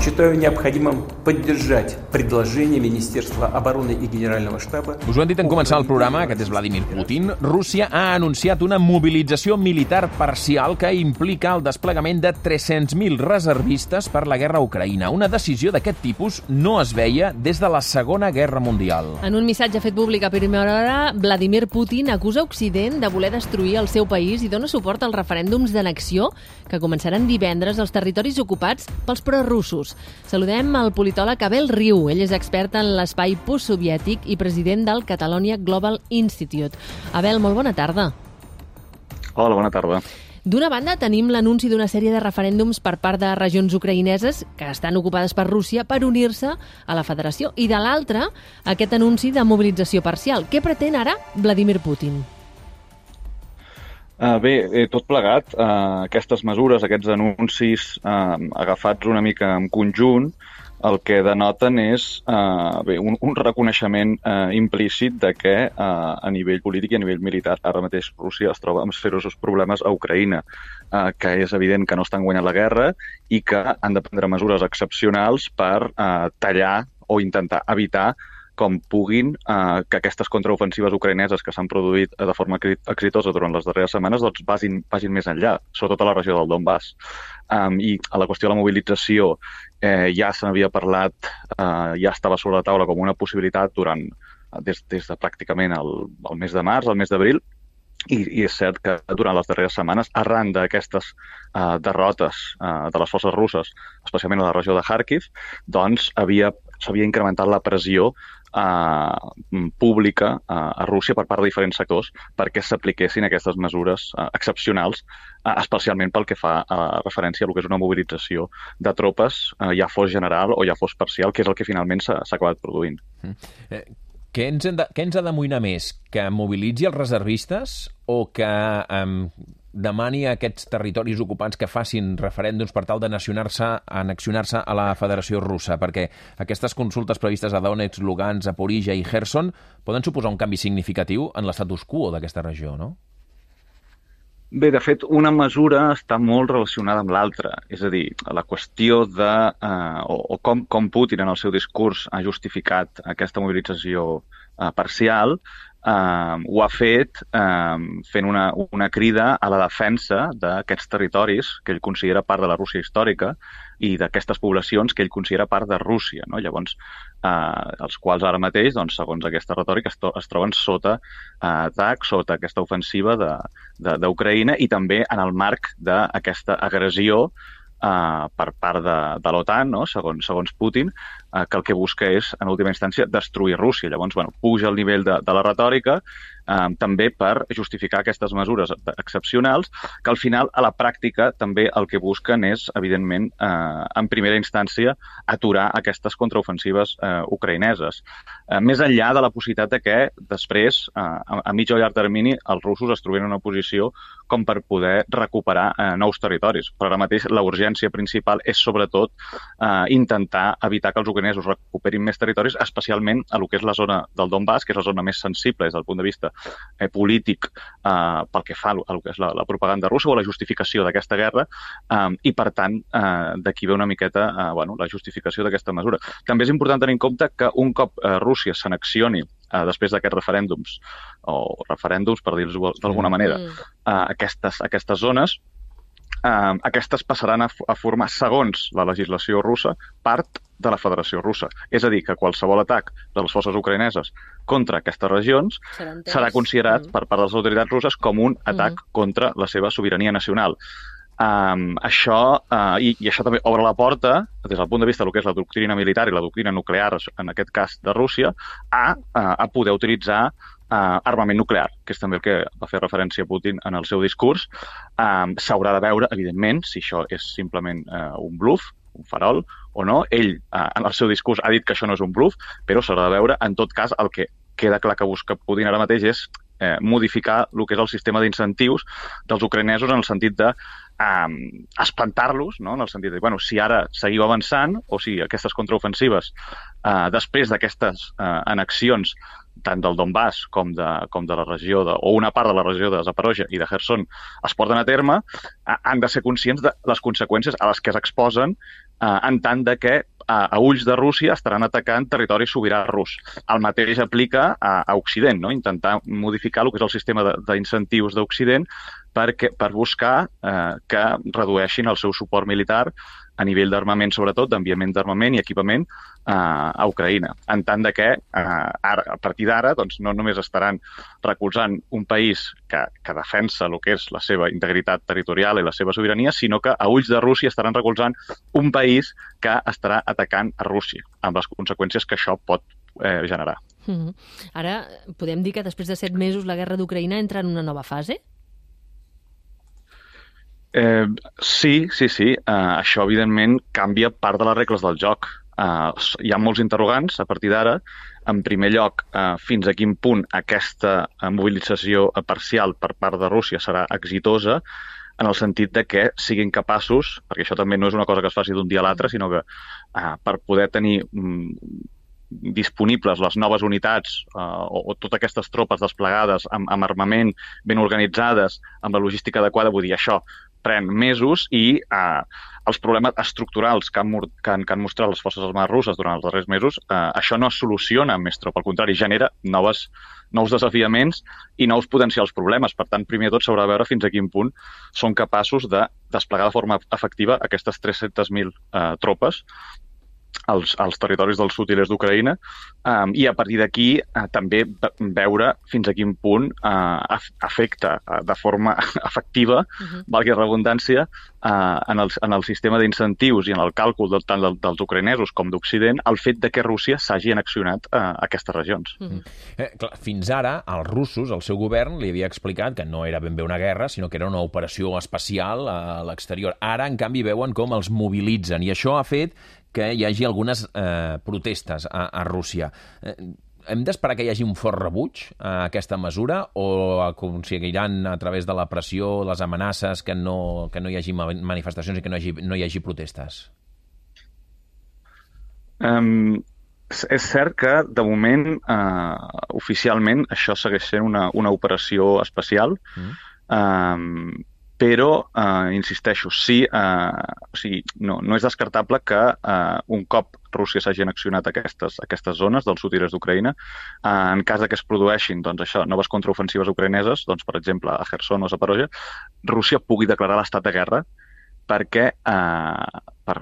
Считаю необходимым поддержать предложение Министерства обороны и Генерального штаба. Us ho hem dit en començar el programa, aquest és Vladimir Putin. Rússia ha anunciat una mobilització militar parcial que implica el desplegament de 300.000 reservistes per la guerra a Ucraïna. Una decisió d'aquest tipus no es veia des de la Segona Guerra Mundial. En un missatge fet públic a primera hora, Vladimir Putin acusa Occident de voler destruir el seu país i dona suport als referèndums d'annexió que començaran divendres als territoris ocupats pels prorussos. Saludem al politòleg Abel Riu. Ell és expert en l'espai postsoviètic i president del Catalonia Global Institute. Abel, molt bona tarda. Hola, bona tarda. D'una banda, tenim l'anunci d'una sèrie de referèndums per part de regions ucraïneses que estan ocupades per Rússia per unir-se a la federació. I de l'altra, aquest anunci de mobilització parcial. Què pretén ara Vladimir Putin? Bé, tot plegat, aquestes mesures, aquests anuncis agafats una mica en conjunt, el que denoten és un reconeixement implícit de que a nivell polític i a nivell militar ara mateix Rússia es troba amb seriosos problemes a Ucraïna, que és evident que no estan guanyant la guerra i que han de prendre mesures excepcionals per tallar o intentar evitar com puguin que aquestes contraofensives ucraïneses que s'han produït de forma exitosa durant les darreres setmanes doncs vagin més enllà, sobretot a la regió del Donbass. I a la qüestió de la mobilització ja se n'havia parlat, ja estava sobre la taula com una possibilitat des de pràcticament el mes de març, el mes d'abril, i és cert que durant les darreres setmanes, arran d'aquestes derrotes de les forces russes, especialment a la regió de Kharkiv, doncs s'havia incrementat la pressió pública a Rússia per part de diferents sectors perquè s'apliquessin aquestes mesures excepcionals, especialment pel que fa a referència a el que és una mobilització de tropes, ja fos general o ja fos parcial, que és el que finalment s'ha acabat produint. Què ens ha d'amoïnar més? Que mobilitzi els reservistes o que demani a aquests territoris ocupants que facin referèndums per tal d'annexionar-se a la Federació Russa? Perquè aquestes consultes previstes a Donetsk, Lugansk, Zaporizhia i Kherson poden suposar un canvi significatiu en l'estatus quo d'aquesta regió, no? Bé, de fet, una mesura està molt relacionada amb l'altra. És a dir, la qüestió de com Putin en el seu discurs ha justificat aquesta mobilització parcial, ho ha fet fent una crida a la defensa d'aquests territoris que ell considera part de la Rússia històrica i d'aquestes poblacions que ell considera part de Rússia, no? Llavors, els quals ara mateix, doncs, segons aquesta retòrica, es troben sota atac, sota aquesta ofensiva d'Ucraïna i també en el marc d'aquesta agressió per part de l'OTAN, no? Segons Putin, que el que busca és, en última instància, destruir Rússia. Llavors, puja el nivell de la retòrica també per justificar aquestes mesures excepcionals, que al final, a la pràctica, també el que busquen és, evidentment, en primera instància, aturar aquestes contraofensives ucraïneses. Més enllà de la possibilitat de que després, a mig o llarg termini, els russos es trobin en una posició com per poder recuperar nous territoris. Però ara mateix la urgència principal és, sobretot, intentar evitar que els ucraïnesos recuperin més territoris, especialment a lo que és la zona del Donbass, que és la zona més sensible des del punt de vista polític pel que fa a lo que és la propaganda russa o la justificació d'aquesta guerra, i per tant d'aquí ve una miqueta la justificació d'aquesta mesura. També és important tenir en compte que un cop Rússia s'annexioni després d'aquests referèndums, per dir-ho d'alguna manera, aquestes zones, aquestes passaran a formar, segons la legislació russa, part de la Federació Russa. És a dir, que qualsevol atac de les forces ucraïneses contra aquestes regions serà considerat per part de les autoritats russes com un atac contra la seva sobirania nacional. Això també obre la porta, des del punt de vista del que és la doctrina militar i la doctrina nuclear, en aquest cas de Rússia, a poder utilitzar armament nuclear, que és també el que va fer referència Putin en el seu discurs. S'haurà de veure, evidentment, si això és simplement un bluff, un farol o no. Ell, en el seu discurs, ha dit que això no és un bluff, però s'haurà de veure. En tot cas, el que queda clar que busca Putin ara mateix és modificar el que és el sistema d'incentius dels ucraïnesos en el sentit de espantar-los, no? En el sentit de, si ara seguiu avançant, o si aquestes contraofensives, després d'aquestes annexions, tant del Donbass com de la regió, o una part de la regió de Zaporozhye i de Kherson, es porten a terme, han de ser conscients de les conseqüències a les que es exposen en tant de que a ulls de Rússia estaran atacant territori sobirà rus. El mateix aplica a Occident, no? Intentar modificar el que és el sistema d'incentius d'Occident per buscar que redueixin el seu suport militar a nivell d'armament, sobretot, d'enviament d'armament i equipament a Ucraïna. En tant de que, a partir d'ara, no només estaran recolzant un país que defensa el que és la seva integritat territorial i la seva sobirania, sinó que a ulls de Rússia estaran recolzant un país que estarà atacant a Rússia, amb les conseqüències que això pot generar. Ara, podem dir que després de 7 mesos la guerra d'Ucraïna entra en una nova fase? Sí. Això, evidentment, canvia part de les regles del joc. Hi ha molts interrogants a partir d'ara. En primer lloc, fins a quin punt aquesta mobilització parcial per part de Rússia serà exitosa, en el sentit de que siguin capaços, perquè això també no és una cosa que es faci d'un dia a l'altre, sinó que per poder tenir disponibles les noves unitats o totes aquestes tropes desplegades amb armament ben organitzades, amb la logística adequada, vull dir, això pren mesos i els problemes estructurals que han mostrat les forces armades russes durant els darrers mesos, això no es soluciona amb més tropa, al contrari, genera nous desafiaments i nous potencials problemes. Per tant, primer de tot s'haurà de veure fins a quin punt són capaços de desplegar de forma efectiva aquestes 300.000 tropes als territoris del sud i l'est d'Ucraïna i a partir d'aquí també veure fins a quin punt afecta de forma efectiva, valgui la redundància, en el sistema d'incentius i en el càlcul tant dels ucraïnesos com d'Occident el fet de que Rússia s'hagi annexionat a aquestes regions. Fins ara, els russos, el seu govern, li havia explicat que no era ben bé una guerra, sinó que era una operació especial a l'exterior. Ara, en canvi, veuen com els mobilitzen i això ha fet que hi hagi algunes protestes a Rússia. Hem d'esperar que hi hagi un fort rebuig a aquesta mesura o aconseguiran a través de la pressió, les amenaces, que no hi hagi manifestacions i que no hi hagi protestes? És cert que, de moment, oficialment, això segueix sent una operació especial, però, insisteixo, sí, no és descartable que un cop Rússia s'hagi annexionat aquestes zones del sud i l'est d'Ucraïna, en cas que es produeixin noves contraofensives ucraïneses, per exemple, a Kherson o Zaporozhye, Rússia pugui declarar l'estat de guerra perquè per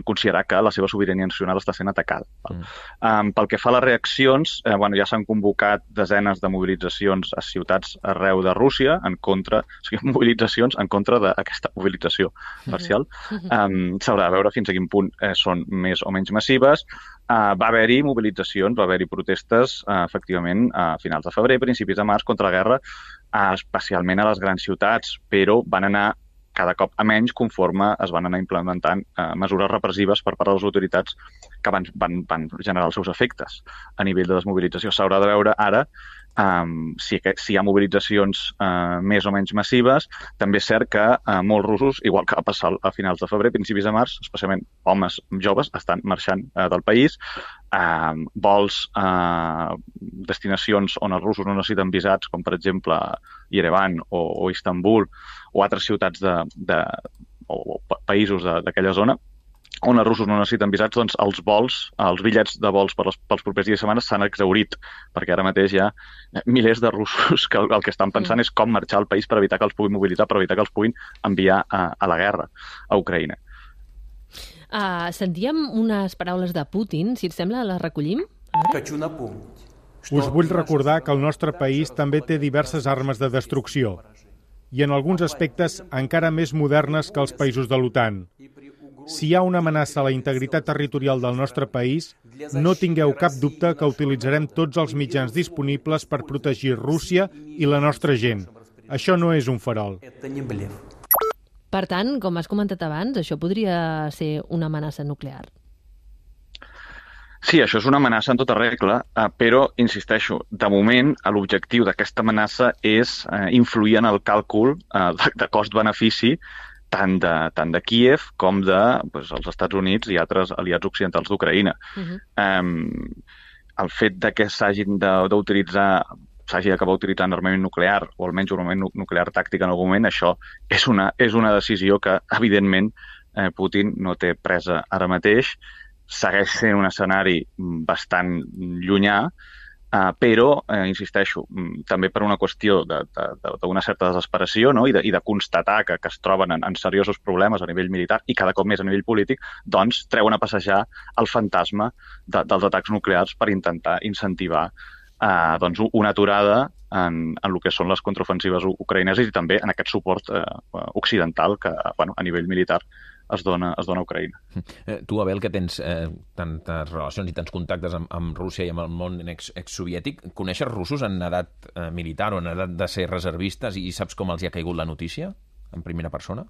considerar que la seva sobirania nacional està sent atacada. Pel que fa a les reaccions, ja s'han convocat desenes de mobilitzacions a ciutats arreu de Rússia mobilitzacions en contra d'aquesta mobilització parcial. S'haurà de veure fins a quin punt són més o menys massives. Va haver-hi mobilitzacions, va haver-hi protestes, efectivament, a finals de febrer, principis de març, contra la guerra, especialment a les grans ciutats, però van anar cada cop a menys conforme es van anar implementant mesures repressives per part de les autoritats que van generar els seus efectes a nivell de desmobilització. S'haurà de veure ara si hi ha mobilitzacions més o menys massives. També és cert que molts russos, igual que va passar a finals de febrer, principis de març, especialment homes joves, estan marxant del país. Vols, destinacions on els russos no necessiten visats, com per exemple Yerevan o Istanbul o altres ciutats o països d'aquella zona, on els russos no necessiten visats, els bitllets de vols pels propers dies i setmanes s'han exhaurit, perquè ara mateix hi ha milers de russos que el que estan pensant és com marxar al país per evitar que els puguin mobilitzar, per evitar que els puguin enviar a la guerra a Ucraïna. Sentíem unes paraules de Putin, si et sembla, les recollim? Us vull recordar que el nostre país també té diverses armes de destrucció i en alguns aspectes encara més modernes que els països de l'OTAN. Si hi ha una amenaça a la integritat territorial del nostre país, no tingueu cap dubte que utilitzarem tots els mitjans disponibles per protegir Rússia i la nostra gent. Això no és un farol. Per tant, com has comentat abans, això podria ser una amenaça nuclear. Sí, això és una amenaça en tota regla, però, insisteixo, de moment l'objectiu d'aquesta amenaça és influir en el càlcul de cost-benefici tant de Kíev com dels Estats Units i altres aliats occidentals d'Ucraïna. El fet de que s'hagi d'acabar utilitzant armament nuclear, o almenys un armament nuclear tàctic en algun moment, això és una decisió que, evidentment, Putin no té presa ara mateix. Segueix sent un escenari bastant llunyà, però, insisteixo, també per una qüestió d'una certa desesperació, no? I de constatar que es troben en seriosos problemes a nivell militar i cada cop més a nivell polític, doncs treuen a passejar el fantasma dels atacs nuclears per intentar incentivar una aturada en el que són les contraofensives ucraïneses i també en aquest suport occidental que a nivell militar es dona a Ucraïna. Tu, Abel, que tens tantes relacions i tants contactes amb Rússia i amb el món exsoviètic, coneixes russos en edat militar o en edat de ser reservistes i saps com els hi ha caigut la notícia en primera persona?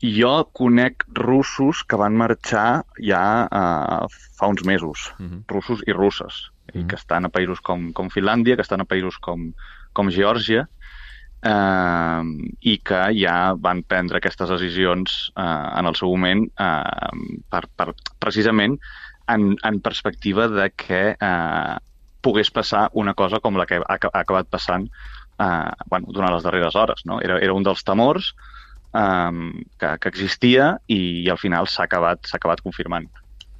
Jo conec russos que van marxar ja fa uns mesos, russos i russes, i que estan a països com Finlàndia, que estan a països com Geòrgia, i que ja van prendre aquestes decisions en el seu moment precisament en perspectiva de que pogués passar una cosa com la que ha acabat passant durant les darreres hores. No? Era un dels temors que existia i al final s'ha acabat confirmant.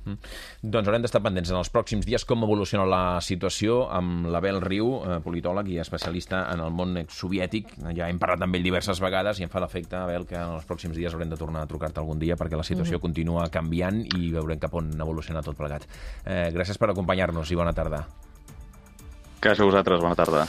Doncs haurem d'estar pendents en els pròxims dies com evoluciona la situació amb l'Abel Riu, politòleg i especialista en el món exsoviètic. Ja hem parlat amb ell diverses vegades i em fa l'efecte, Abel, que en els pròxims dies haurem de tornar a trucar-te algun dia perquè la situació continua canviant i veurem cap on evoluciona tot plegat. Gràcies per acompanyar-nos i bona tarda. Gràcies a vosaltres, bona tarda.